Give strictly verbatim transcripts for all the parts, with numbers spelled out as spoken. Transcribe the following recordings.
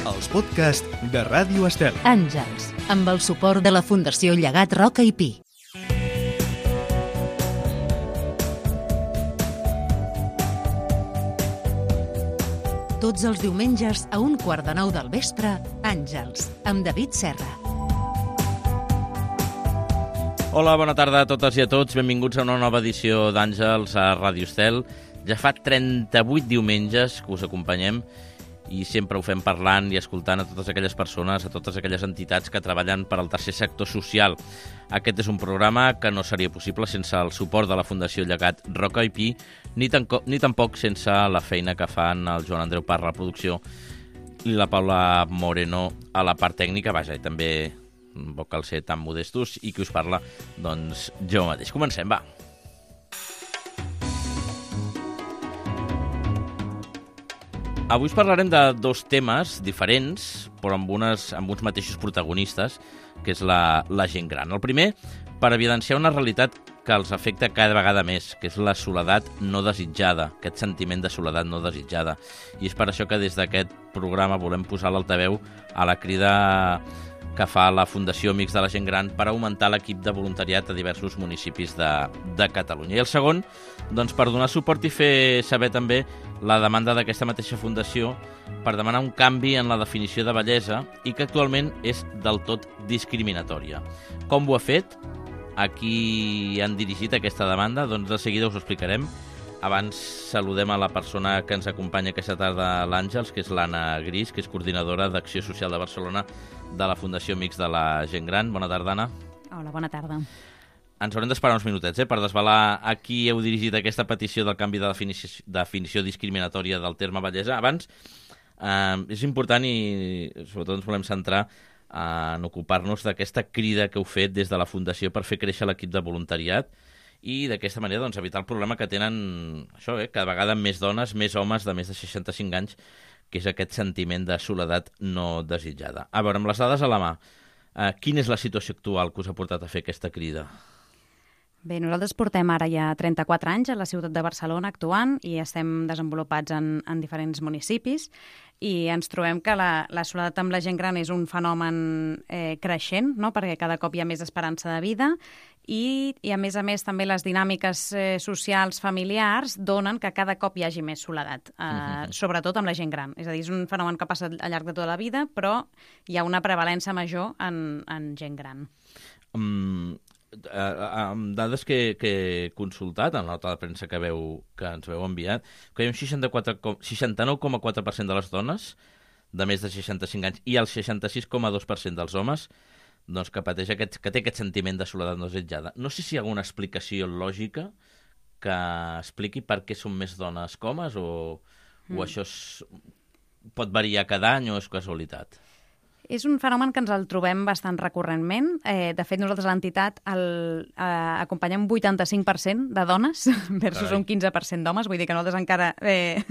els podcasts de Ràdio Estel. Àngels, amb el suport de la Fundació Llegat Roca i Pi. Tots els diumenges a un quart de nou del vespre, Àngels, amb David Serra. Hola, bona tarda a totes i a tots. Benvinguts a una nova edició d'Àngels a Ràdio Estel. Ja fa trenta-vuit diumenges que us acompanyem i sempre ho fem parlant i escoltant a totes aquelles persones, a totes aquelles entitats que treballen per al tercer sector social. Aquest és un programa que no seria possible sense el suport de la Fundació Llegat Roca i Pi, ni, tanco, ni tampoc sense la feina que fan el Joan Andreu Parra a la producció i la Paula Moreno a la part tècnica, vaja, i també no cal ser tan modestos, i qui us parla, doncs jo mateix. Comencem, va. Avui us parlarem de dos temes diferents, però amb, unes, amb uns mateixos protagonistes, que és la, la gent gran. El primer, per evidenciar una realitat que els afecta cada vegada més, que és la soledat no desitjada, aquest sentiment de soledat no desitjada. I és per això que des d'aquest programa volem posar l'altaveu a la crida que fa la Fundació Amics de la Gent Gran per augmentar l'equip de voluntariat a diversos municipis de, de Catalunya. I el segon, doncs, per donar suport i fer saber també la demanda d'aquesta mateixa fundació per demanar un canvi en la definició de bellesa i que actualment és del tot discriminatòria. Com ho ha fet? A qui han dirigit aquesta demanda? Doncs de seguida us ho explicarem. Abans saludem a la persona que ens acompanya aquesta tarda a l'Àngels, que és l'Anna Gris, que és coordinadora d'Acció Social de Barcelona de la Fundació Amics de la Gent Gran. Bona tarda, Anna. Hola, bona tarda. Ens haurem d'esperar uns minutets eh, per desvelar a qui heu dirigit aquesta petició del canvi de definició, definició discriminatòria del terme bellesa. Abans, eh, és important i sobretot ens volem centrar en ocupar-nos d'aquesta crida que heu fet des de la Fundació per fer créixer l'equip de voluntariat i d'aquesta manera doncs, evitar el problema que tenen això, eh, cada vegada més dones, més homes de més de seixanta-cinc anys, que és aquest sentiment de soledat no desitjada. A veure, amb les dades a la mà, eh, quina és la situació actual que us ha portat a fer aquesta crida? Bé, nosaltres portem ara ja trenta-quatre anys a la ciutat de Barcelona actuant i estem desenvolupats en, en diferents municipis i ens trobem que la, la soledat amb la gent gran és un fenomen eh, creixent, no? Perquè cada cop hi ha més esperança de vida i, i a més a més també les dinàmiques eh, socials familiars donen que cada cop hi hagi més soledat, eh, uh-huh. sobretot amb la gent gran. És a dir, és un fenomen que passa al llarg de tota la vida, però hi ha una prevalença major en, en gent gran. Um... amb dades que, que he consultat en la nota de premsa que, veu, que ens veu enviat, que hi ha un seixanta-nou coma quatre per cent de les dones de més de seixanta-cinc anys i el seixanta-sis coma dos per cent dels homes doncs, que, pateix aquest, que té aquest sentiment de soledat no desitjada. No sé si hi ha alguna explicació lògica que expliqui per què són més dones que homes o, mm. o això és, pot variar cada any o és casualitat? És un fenomen que ens el trobem bastant recurrentment. Eh, de fet, nosaltres a l'entitat el, eh, acompanyem un vuitanta-cinc per cent de dones versus Carai. un quinze per cent d'homes. Vull dir que nosaltres encara eh,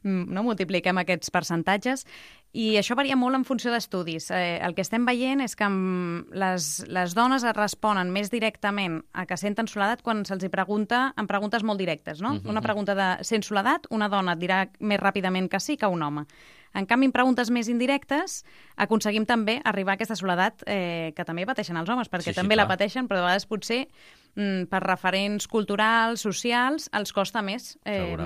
no multipliquem aquests percentatges. I això varia molt en funció d'estudis. Eh, el que estem veient és que les, les dones es responen més directament a que senten soledat quan se'ls hi pregunta en preguntes molt directes. No? Uh-huh. Una pregunta de sents soledat, una dona et dirà més ràpidament que sí que un home. En canvi, en preguntes més indirectes, aconseguim també arribar a aquesta soledat eh, que també pateixen els homes, perquè sí, sí, també clar. la pateixen, però de vegades potser mm, per referents culturals, socials, els costa més eh,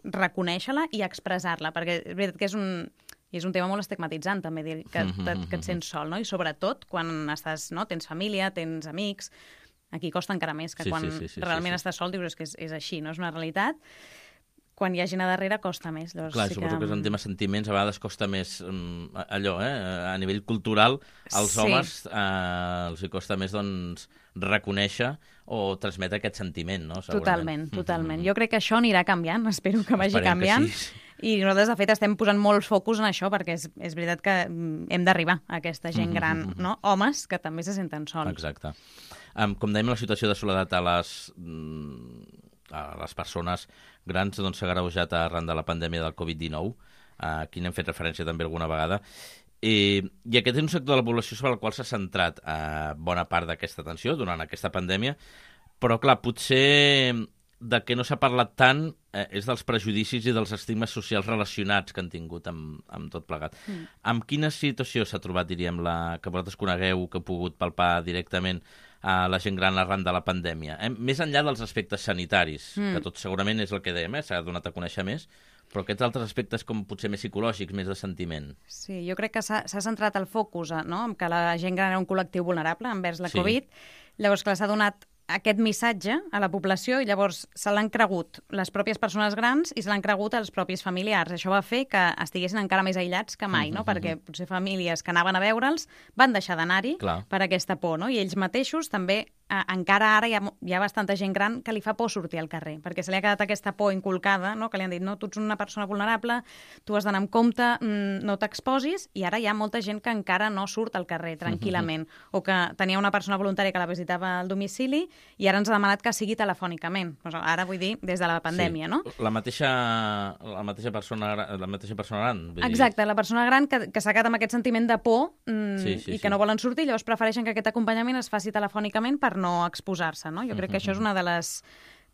reconèixer-la i expressar-la, perquè és veritat que és un, és un tema molt estigmatitzant, també, dir que, que, que et sents sol, no? I sobretot quan estàs, no? Tens família, tens amics, aquí costa encara més que sí, quan sí, sí, sí, realment sí, sí. estàs sol, dius que és, és així, no? És una realitat. Quan hi ha gent a darrere costa més. Llavors, Clar, sí suposo que... que és un tema sentiments, a vegades costa més um, allò, eh? A nivell cultural, als sí. homes eh, els hi costa més doncs, reconèixer o transmetre aquest sentiment, no? Totalment, totalment. Jo crec que això anirà canviant, espero que vagi Esperem canviant. Que sí. I nosaltres, de fet, estem posant molt focus en això perquè és, és veritat que hem d'arribar a aquesta gent gran, mm-hmm. no? Homes que també se senten sols. Exacte. Um, com dèiem, la situació de soledat a les... a les persones grans doncs, s'ha agreujat arran de la pandèmia del covid dinou, a qui n'hem fet referència també alguna vegada. I, I aquest és un sector de la població sobre el qual s'ha centrat eh, bona part d'aquesta atenció durant aquesta pandèmia, però clar, potser de què no s'ha parlat tant eh, és dels prejudicis i dels estigmes socials relacionats que han tingut amb, amb tot plegat. Mm. Amb quina situació s'ha trobat, diríem, la que vosaltres conegueu, que heu pogut palpar directament a la gent gran arran de la pandèmia? Eh? Més enllà dels aspectes sanitaris, mm. que tot segurament és el que dèiem, eh? S'ha donat a conèixer més, però aquests altres aspectes com potser més psicològics, més de sentiment. Sí, jo crec que s'ha centrat el focus, no?, en que la gent gran era un col·lectiu vulnerable envers la sí. Covid. Llavors, clar, s'ha donat aquest missatge a la població i llavors se l'han cregut les pròpies persones grans i se l'han cregut els propis familiars. Això va fer que estiguessin encara més aïllats que mai, no? Mm-hmm. Perquè potser famílies que anaven a veure'ls van deixar d'anar-hi per aquesta por, no? I ells mateixos també, eh, encara ara hi ha, hi ha bastanta gent gran que li fa por sortir al carrer, perquè se li ha quedat aquesta por inculcada, no? Que li han dit, no, tu ets una persona vulnerable, tu has d'anar amb compte, mm, no t'exposis, i ara hi ha molta gent que encara no surt al carrer tranquil·lament, mm-hmm. o que tenia una persona voluntària que la visitava al domicili i ara ens ha demanat que sigui telefònicament. Ara vull dir, des de la pandèmia, sí. no? La mateixa, la mateixa persona, la mateixa persona gran. Exacte, la persona gran que, que s'ha quedat amb aquest sentiment de por mm, sí, sí, i que sí. no volen sortir, llavors prefereixen que aquest acompanyament es faci telefònicament per no exposar-se, no? Jo crec que això és una de les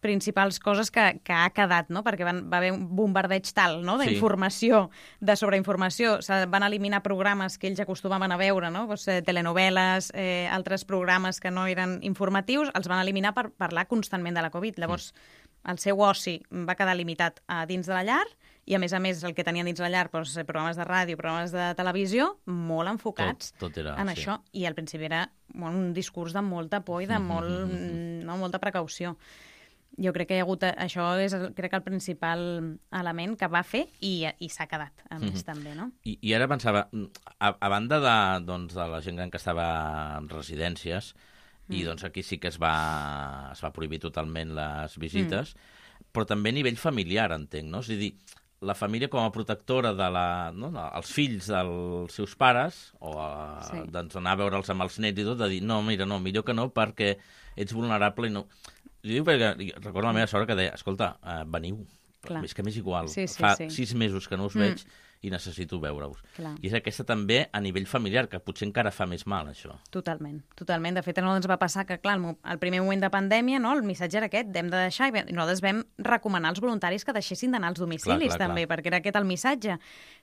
principals coses que, que ha quedat, no? Perquè van, va haver un bombardeig tal, no?, d'informació, sí. de sobreinformació. Se van eliminar programes que ells acostumaven a veure, no? Pues, eh, telenovel·les, eh, altres programes que no eren informatius, els van eliminar per parlar constantment de la Covid. Llavors, mm. el seu oci va quedar limitat a dins de la llar i, a més a més, el que tenien dins la llar, doncs, programes de ràdio, programes de televisió, molt enfocats tot, tot era, en sí. això. I al principi era un discurs de molta por i de molt, mm-hmm. no, molta precaució. Jo crec que hi ha hagut... Això és, crec que el principal element que va fer i, i s'ha quedat, a més, mm-hmm. també, no? I, I ara pensava, a, a banda de, doncs, de la gent gran que estava en residències, mm. i doncs aquí sí que es va, es va prohibir totalment les visites, mm. però també a nivell familiar, entenc, no? És a dir, la família com a protectora de la, no, els fills dels seus pares, o a, sí. doncs anar a veure'ls amb els nets i tot, de dir, no, mira, no, millor que no, perquè ets vulnerable i no... Jo dic perquè recordo la meva sort que deia, escolta, uh, veniu, Clar. és que m'és igual, sí, sí, fa sí. sis mesos que no us mm. veig i necessito veure-us. I és aquesta també a nivell familiar, que potser encara fa més mal, això. Totalment, totalment. De fet, a nosaltres ens va passar que, clar, al primer moment de pandèmia, no, el missatge era aquest, hem de deixar, i nosaltres vam recomanar als voluntaris que deixessin d'anar als domicilis, clar, clar, també, clar. perquè era aquest el missatge.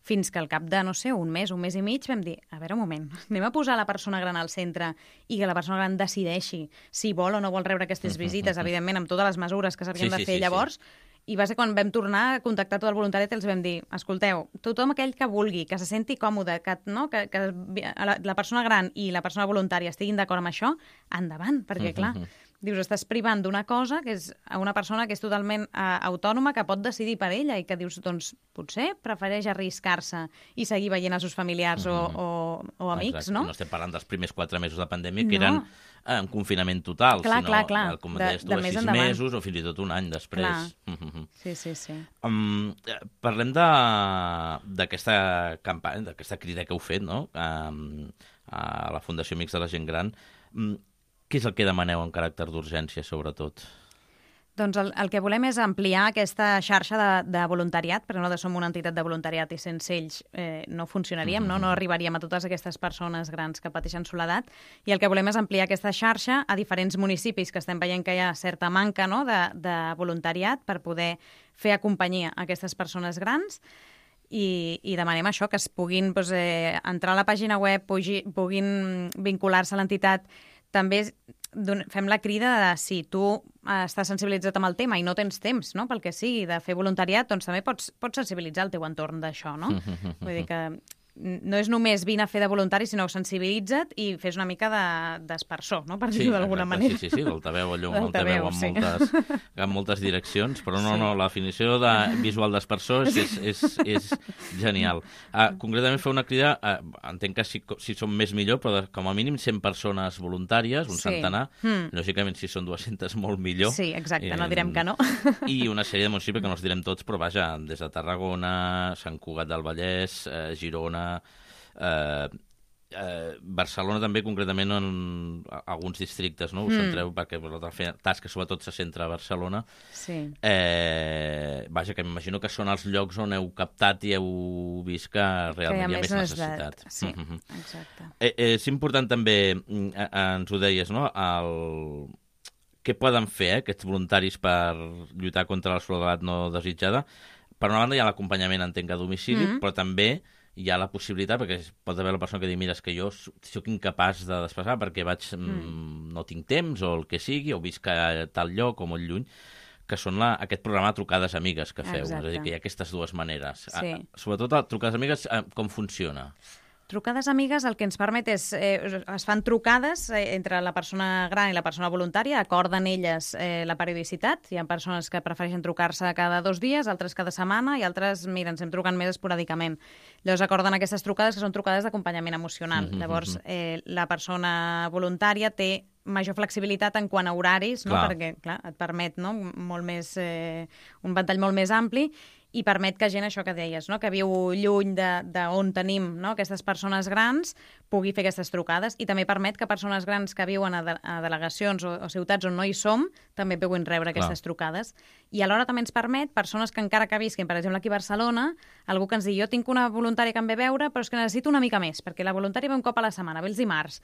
Fins que al cap de, no sé, un mes, un mes i mig, vam dir, a veure, un moment, anem a posar la persona gran al centre i que la persona gran decideixi si vol o no vol rebre aquestes visites, evidentment, amb totes les mesures que s'havien sí, de fer sí, llavors, sí. I va ser quan vam tornar a contactar tot el voluntariat i els vam dir, escolteu, tothom aquell que vulgui, que se senti còmode, que, no, que, que la, la persona gran i la persona voluntària estiguin d'acord amb això, endavant, perquè, clar, dius, estàs privant d'una cosa que és una persona que és totalment uh, autònoma, que pot decidir per ella i que dius, doncs, potser prefereix arriscar-se i seguir veient els seus familiars mm-hmm. o, o, o amics, Exacte. no? No estem parlant dels primers quatre mesos de pandèmia, que no. eren eh, en confinament total, clar, sinó, clar, clar. com de, deies tu, a sis endavant. mesos o fins i tot un any després. Mm-hmm. Sí, sí, sí. Um, parlem d'aquesta campanya, d'aquesta crida que heu fet, no?, um, a la Fundació Amics de la Gent Gran. Um, Què és el que demaneu en caràcter d'urgència, sobretot? Doncs el, el que volem és ampliar aquesta xarxa de, de voluntariat, perquè nosaltres som una entitat de voluntariat i sense ells eh, no funcionaríem, mm-hmm. no? no arribaríem a totes aquestes persones grans que pateixen soledat, i el que volem és ampliar aquesta xarxa a diferents municipis que estem veient que hi ha certa manca, no?, de, de voluntariat per poder fer companyia a aquestes persones grans. I, i demanem això, que es puguin doncs, eh, entrar a la pàgina web, pugui, puguin vincular-se a l'entitat. També fem la crida de si tu estàs sensibilitzat amb el tema i no tens temps, no?, pel que sigui, de fer voluntariat, doncs també pots, pots sensibilitzar el teu entorn d'això, no? Vull dir que no és només vine a fer de voluntari, sinó sensibilitza't i fes una mica d'espersor, no?, per dir-ho sí, d'alguna exacte, manera. Sí, sí, sí, l'altaveu, allò, l'altaveu amb, sí. moltes, amb moltes direccions, però no, sí. no, la definició de visual d'espersor és, és, és, és genial. Uh, concretament fer una crida, uh, entenc que si, si som més millor, però de, com a mínim cent persones voluntàries, un sí. centenar, mm. lògicament si són dues-centes molt millor. Sí, exacte, I, no direm que no. I una sèrie de municipis que no els direm tots, però vaja, des de Tarragona, Sant Cugat del Vallès, eh, Girona, Eh, eh, Barcelona també, concretament en alguns districtes, no? Us mm. centreu perquè la tasca sobretot se centra a Barcelona. Sí. Eh, vaja, que m'imagino que són els llocs on heu captat i heu vist que realment que hi ha, hi ha més necessitat. Sí, mm-hmm. exacte. Eh, eh, és important també, eh, ens ho deies, no?, el... què poden fer eh, aquests voluntaris per lluitar contra la soledat no desitjada? Per una banda hi ha l'acompanyament, entenc, a domicili, mm-hmm. però també hi ha la possibilitat, perquè pot haver la persona que diu, mira, és que jo sóc incapaç de desplaçar perquè vaig, mm. no tinc temps o el que sigui, o visc a tal lloc o molt lluny, que són la, aquest programa Trucades Amigues que feu. Exacte. És a dir, que hi ha aquestes dues maneres. Sí. A, sobretot a Trucades Amigues, com funciona? Trucades amigues el que ens permet és... Eh, es fan trucades eh, entre la persona gran i la persona voluntària, acorden elles eh, la periodicitat. Hi ha persones que prefereixen trucar-se cada dos dies, altres cada setmana, i altres, mira, ens hem trucant més esporàdicament. Llavors acorden aquestes trucades, que són trucades d'acompanyament emocional. Mm-hmm. Llavors, eh, la persona voluntària té major flexibilitat en quant a horaris, no? Clar. Perquè clar, et permet no? molt més, eh, un ventall molt més ampli, i permet que gent, això que deies, no? que viu lluny d'on tenim no? aquestes persones grans, pugui fer aquestes trucades, i també permet que persones grans que viuen a, de, a delegacions o, o ciutats on no hi som també puguin rebre aquestes Clar. trucades. I alhora també ens permet persones que encara que visquin, per exemple, aquí a Barcelona, algú que ens digui, jo tinc una voluntària que em ve a veure, però és que necessito una mica més, perquè la voluntària ve un cop a la setmana, ve els dimarts,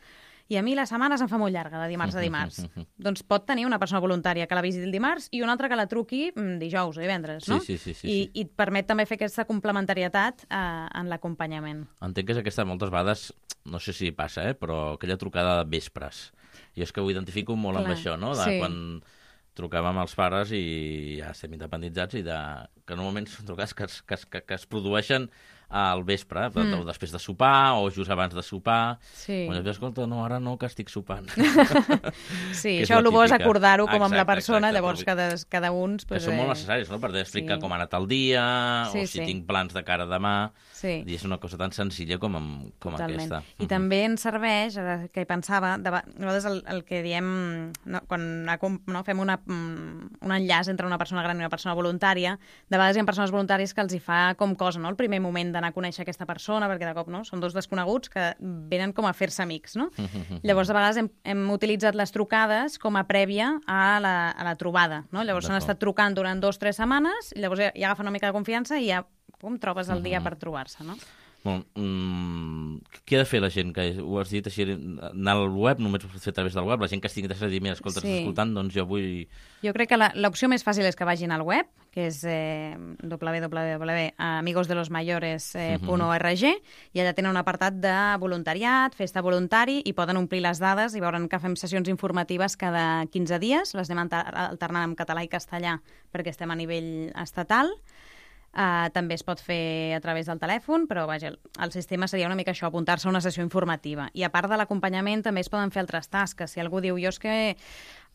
i a mi la setmana se'm fa molt llarga, de dimarts a dimarts. Doncs pot tenir una persona voluntària que la visiti el dimarts i una altra que la truqui dijous o divendres, no? Sí, sí, sí, sí, I, sí. I et permet també fer aquesta complementarietat eh, en l'acompanyament. Entenc que és aquesta, moltes vegades, no sé si passa, eh, però aquella trucada de vespres. Jo és que ho identifico molt Clar, amb això, no? De sí. Quan trucàvem als pares i ja estem independitzats i de... que normalment són trucades que es, que es, que, que es produeixen al vespre, mm. o després de sopar, o just abans de sopar. Sí. Quan dius, escolta, no, ara no, que estic sopant. Sí, això el bo és acordar-ho com amb la persona, exacte, llavors cada, cada un... Pues, que són eh... molt necessaris, no?, per explicar sí. com ha anat el dia, sí, o si sí. tinc plans de cara demà. Sí. I és una cosa tan senzilla com, amb, com aquesta. I uh-huh. també ens serveix, ara que hi pensava, de, nosaltres el, el que diem, no, quan no, fem una, un enllaç entre una persona gran i una persona voluntària, de vegades hi ha persones voluntàries que els hi fa com cosa, no?, el primer moment d'anar a conèixer aquesta persona, perquè de cop no, són dos desconeguts que venen com a fer-se amics, no? Llavors, de vegades hem, hem utilitzat les trucades com a prèvia a la, a la trobada, no? Llavors s'han estat trucant durant dos o tres setmanes i llavors ja, ja agafen una mica de confiança i ja com trobes el dia per trobar-se, no? Bon, mm, què ha de fer la gent? Que ho has dit així, anar al web, només ho pots fer a través del web, la gent que estigui interessada i dir, mira, escolta, sí. estàs escoltant, doncs jo vull... Jo crec que l'opció més fàcil és que vagin al web, que és eh, w w w punt amigos de los mayores punt org, i allà tenen un apartat de voluntariat, festa voluntari, i poden omplir les dades i veuran que fem sessions informatives cada quinze dies, les anem alternant en català i castellà perquè estem a nivell estatal. Uh, també es pot fer a través del telèfon, però vaja, el, el sistema seria una mica això, apuntar-se a una sessió informativa. I a part de l'acompanyament també es poden fer altres tasques. Si algú diu, jo és que,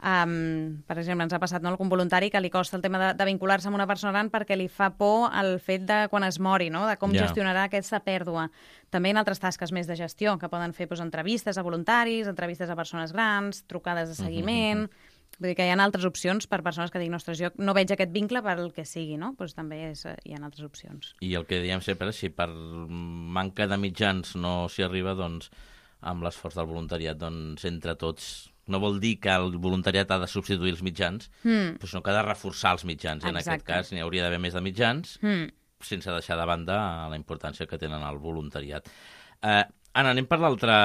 um, per exemple, ens ha passat no, algun voluntari que li costa el tema de, de vincular-se amb una persona gran perquè li fa por el fet de quan es mori, no? De com yeah. gestionarà aquesta pèrdua. També hi ha altres tasques més de gestió, que poden fer doncs, entrevistes a voluntaris, entrevistes a persones grans, trucades de seguiment... Uh -huh. Vull dir que hi ha altres opcions per persones que diguin, ostres, jo no veig aquest vincle per el que sigui, no? Doncs també és, hi ha altres opcions. I el que diem sempre, si per manca de mitjans no s'hi arriba, doncs amb l'esforç del voluntariat, doncs entre tots... No vol dir que el voluntariat ha de substituir els mitjans, mm. però sinó que ha de reforçar els mitjans. En Exacte. Aquest cas n'hi hauria d'haver més de mitjans, mm. sense deixar de banda la importància que tenen el voluntariat. Eh, Anna, anem per l'altre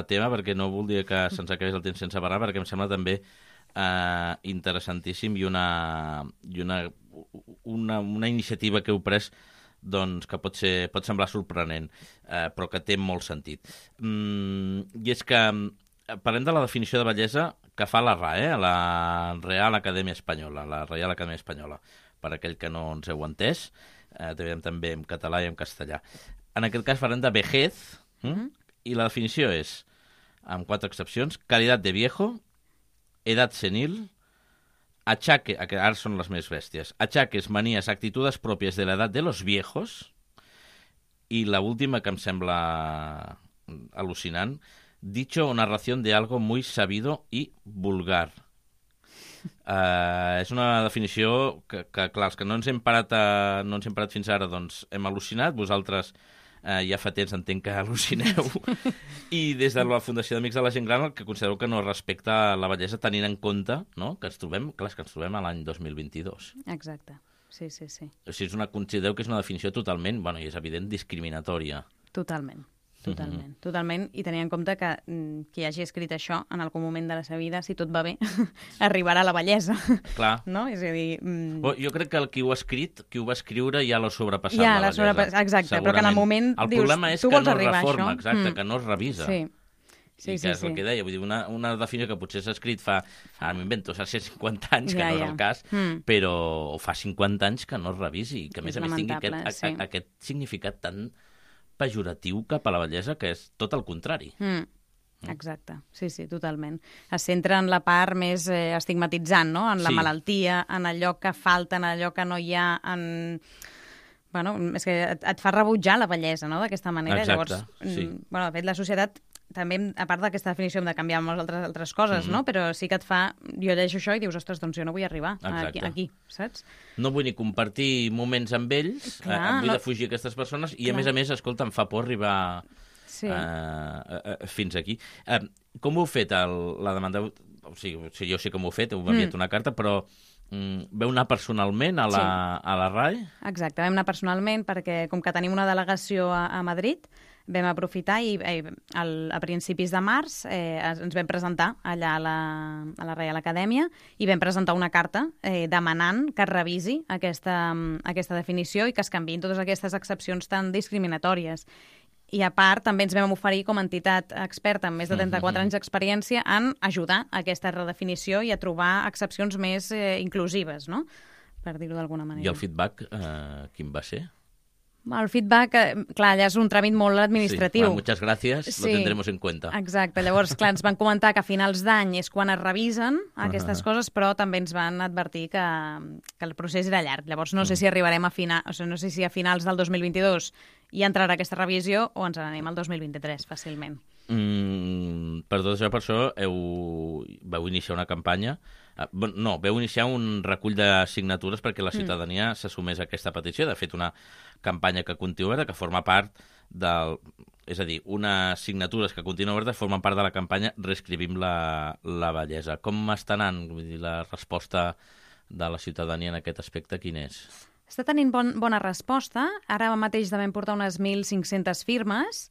tema, perquè no voldria que se'ns acabés el temps sense parlar, perquè em sembla també Uh, interessantíssim i una, i una, una, una iniciativa que heu pres doncs, que pot, ser, pot semblar sorprenent, uh, però que té molt sentit. Mm, I és que parlem de la definició de bellesa que fa la R A E, la Real Acadèmia Espanyola, la Reial Acadèmia Espanyola, per aquell que no ens heu entès, uh, també en català i en castellà. En aquest cas parlem de vejez, mm? i la definició és, amb quatre excepcions, qualitat de viejo, edat senil, achaque, ara són les més bèsties, achaques, manías, actitudes pròpies de l'edat de los viejos, i la última que em sembla al·lucinant, dicho o narración de algo muy sabido y vulgar. Uh, és una definició que, que, clar, els que no ens hem parat, a, no ens hem parat fins ara, doncs hem al·lucinat, vosaltres Uh, ja fa temps entenc que al·lucineu. I des de la Fundació d'Amics de la Gent Gran el que considereu que no respecta la bellesa tenint en compte, no?, que ens trobem, clar, que ens trobem a l'any dos mil vint-i-dos. Exacte, sí, sí, sí. O sigui, és una, considereu que és una definició totalment, bueno, i és evident, discriminatòria. Totalment. totalment, Mhm. totalment. I tenir en compte que mm, qui hagi escrit això en algun moment de la seva vida, si tot va bé, arribarà a la vellesa. Clar. No? És a dir... Mm, Bo, jo crec que el qui ho ha escrit, qui ho va escriure, ja l'ha sobrepassat Ja, la la bellesa. sobrepassat, exacte, però que en el Segurament. moment El dius, problema és tu que vols no es arribar a reforma, això? exacte, Mm. que no es revisa. Sí. Sí, I sí, que és sí. el que deia, vull dir, una, una definició que potser s'ha escrit fa, ara m'invento, fa cent cinquanta anys, que Ja, no ja. és el cas, Mm. però o fa cinquanta anys que no es revisi, i que a més És a més tingui lamentable, aquest, sí. a, a, aquest significat tan pejoratiu cap a la bellesa, que és tot el contrari. Mm. Exacte, sí, sí, totalment. Es centra en la part més eh, estigmatitzant, no? En la Sí. malaltia, en allò que falta, en allò que no hi ha, en... Bueno, és que et, et fa rebutjar la bellesa, no?, d'aquesta manera. Exacte, Llavors, sí. mm, bueno, de fet, la societat també, a part d'aquesta definició, hem de canviar moltes altres, altres coses, Mhm. no? Però sí que et fa... Jo llegeixo això i dius, ostres, doncs jo no vull arribar aquí, Exacte. aquí, saps? No vull ni compartir moments amb ells, Clar, eh, em vull no- defugir aquestes persones, i a Clar. més a més, escolta, em fa por arribar Sí. eh, eh, eh, fins aquí. Eh, com ho heu fet, el, la demanda? O sigui, o sigui, jo sé com ho heu fet, heu enviat Mm. una carta, però mm, veu anar personalment a la, Sí. a la R A E? Exacte, vam anar personalment perquè, com que tenim una delegació a, a Madrid, vam aprofitar i eh, al, a principis de març eh, ens ens vam presentar allà a la, a la Reial Acadèmia i vam presentar una carta eh, demanant que es revisi aquesta, aquesta definició i que es canviïn totes aquestes excepcions tan discriminatòries. I a part, també ens vam oferir com a entitat experta amb més de trenta-quatre anys d'experiència en ajudar a aquesta redefinició i a trobar excepcions més eh, inclusives, no?, per dir-ho d'alguna manera. I el feedback, eh, quin va ser? El feedback, eh, clar, ja és un tràmit molt administratiu. Sí, bueno, muchas gracias, Sí. lo tendremos en cuenta. Exacte, llavors, clar, ens van comentar que a finals d'any és quan es revisen aquestes coses, però també ens van advertir que, que el procés era llarg. Llavors, no sé si arribarem a final, o sigui, no sé si a finals del dos mil vint-i-dos hi entrarà aquesta revisió o ens n'anem al dos mil vint-i-tres fàcilment. Mm, per tot això, per això, heu, vau iniciar una campanya. eh, bon, No, vau iniciar un recull de signatures perquè la ciutadania mm. s'assumés a aquesta petició. De fet, una campanya que continua oberta, que forma part del... És a dir, unes signatures que continuen obertes formen part de la campanya Reescrivim la, la bellesa. Com està anant? Vull dir, la resposta de la ciutadania en aquest aspecte, quin és? Està tenint bon, bona resposta. Ara mateix devem portar unes mil cinc-centes firmes.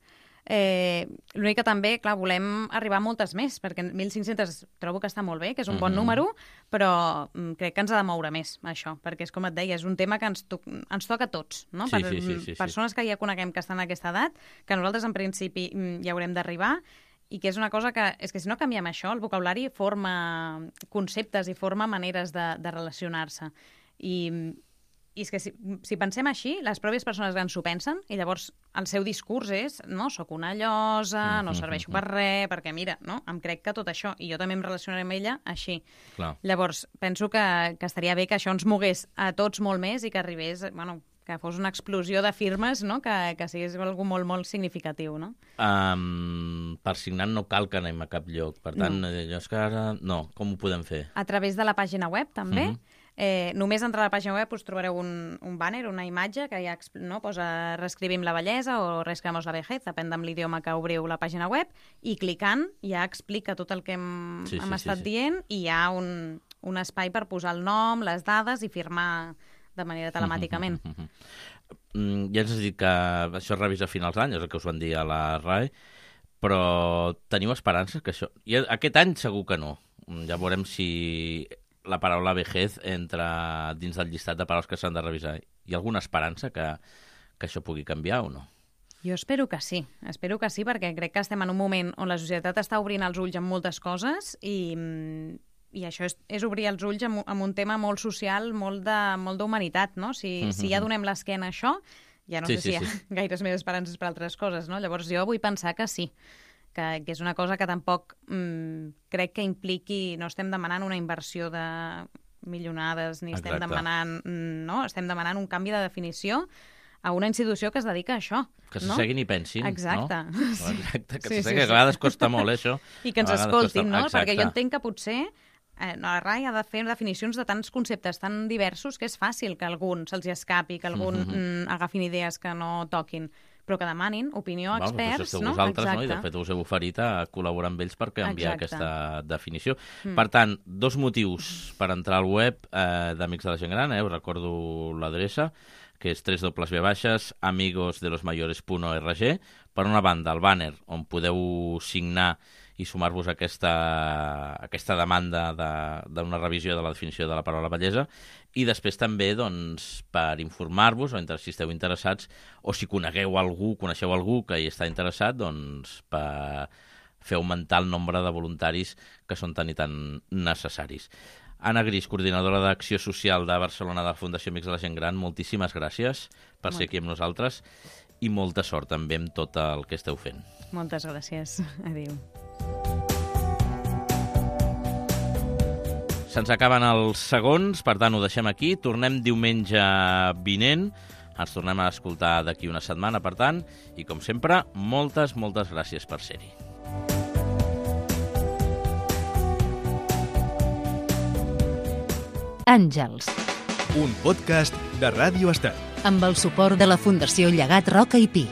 Eh, L'únic que també, clar, volem arribar a moltes més, perquè mil cinc-centes trobo que està molt bé, que és un bon Mhm. número, però mm, crec que ens ha de moure més, això, perquè és com et deia, és un tema que ens, to ens toca a tots, no? Sí, per sí, sí, sí, sí. persones que ja coneguem que estan en aquesta edat, que nosaltres en principi mm, ja haurem d'arribar, i que és una cosa que, és que si no canviem això, el vocabulari forma conceptes i forma maneres de, de relacionar-se. I, I és que si, si pensem així, les pròpies persones grans s'ho pensen i llavors el seu discurs és no, sóc una llosa, no serveixo per res, perquè mira, no, em crec que tot això, i jo també em relacionaré amb ella així. Clar. Llavors, penso que, que estaria bé que això ens mogués a tots molt més i que arribés, bueno, que fos una explosió de firmes, no?, que, que sigués algú molt, molt significatiu, no? Um, per signar no cal que anem a cap lloc. Per tant, no. allò és que ara... No, com ho podem fer? A través de la pàgina web, també. Mhm. Eh, només entrar a la pàgina web us trobareu un, un banner, una imatge que ja no, posa reescrivim la bellesa o reescrivamos la vejez, depèn de l'idioma que obriu la pàgina web, i clicant ja explica tot el que hem, Sí, sí, hem sí, estat sí. dient i hi ha un, un espai per posar el nom, les dades i firmar de manera telemàticament. Mm, ja ens has dit que això es revisa a finals d'any, és el que us van dir a la R A E, però teniu esperances que això... I aquest any segur que no. Mm, Ja veurem si la paraula vejez entra dins del llistat de paraules que s'han de revisar. Hi ha alguna esperança que, que això pugui canviar o no? Jo espero que sí, espero que sí, perquè crec que estem en un moment on la societat està obrint els ulls en moltes coses i, i això és, és obrir els ulls amb, amb un tema molt social, molt de molt d'humanitat, no? Si, mm -hmm. si ja donem l'esquena a això, ja no Sí, sé sí, si hi ha sí. gaires més esperances per altres coses, no? Llavors jo vull pensar que sí, que, que és una cosa que tampoc mm, crec que impliqui, no estem demanant una inversió de milionades, ni estem Exacte. demanant, mm, no? Estem demanant un canvi de definició a una institució que es dedica a això. Que no? s'asseguin i pensin, Exacte. no? Sí. Exacte, que Sí, sí, s'asseguin, sí. que a vegades costa molt, eh, això. I que ens A vegades escoltin, costa- no? Perquè jo Exacte. entenc que potser eh, la R A E ha de fer definicions de tants conceptes tan diversos que és fàcil que algun se'ls escapi, que algun Mhm. mm, agafin idees que no toquin, però que demanin opinió a Val, experts, doncs això sou no? vosaltres, no? I de Exacte. fet us heu oferit a col·laborar amb ells per canviar Exacte. aquesta definició. Mm. Per tant, dos motius per entrar al web eh, d'Amics de la Gent Gran, eh? Us recordo l'adreça, que és doble u doble u doble u punt amigos de los mayores punt org. Per una banda, el banner, on podeu signar i sumar-vos a aquesta, aquesta demanda d'una revisió de la definició de la paraula bellesa, i després també doncs, per informar-vos, o si esteu interessats, o si conegueu algú, coneixeu algú que hi està interessat, doncs per fer augmentar el nombre de voluntaris que són tan i tan necessaris. Anna Gris, coordinadora d'Acció Social de Barcelona de la Fundació Amics de la Gent Gran, moltíssimes gràcies per ser aquí amb nosaltres i molta sort també amb tot el que esteu fent. Moltes gràcies. Adéu. Se'ns acaben els segons, per tant ho deixem aquí. Tornem diumenge vinent. Ens tornem a escoltar d'aquí una setmana, per tant, i com sempre, moltes, moltes gràcies per ser-hi. Àngels. Un podcast de Ràdio Estel. Amb el suport de la Fundació Llegat Roca i Pi.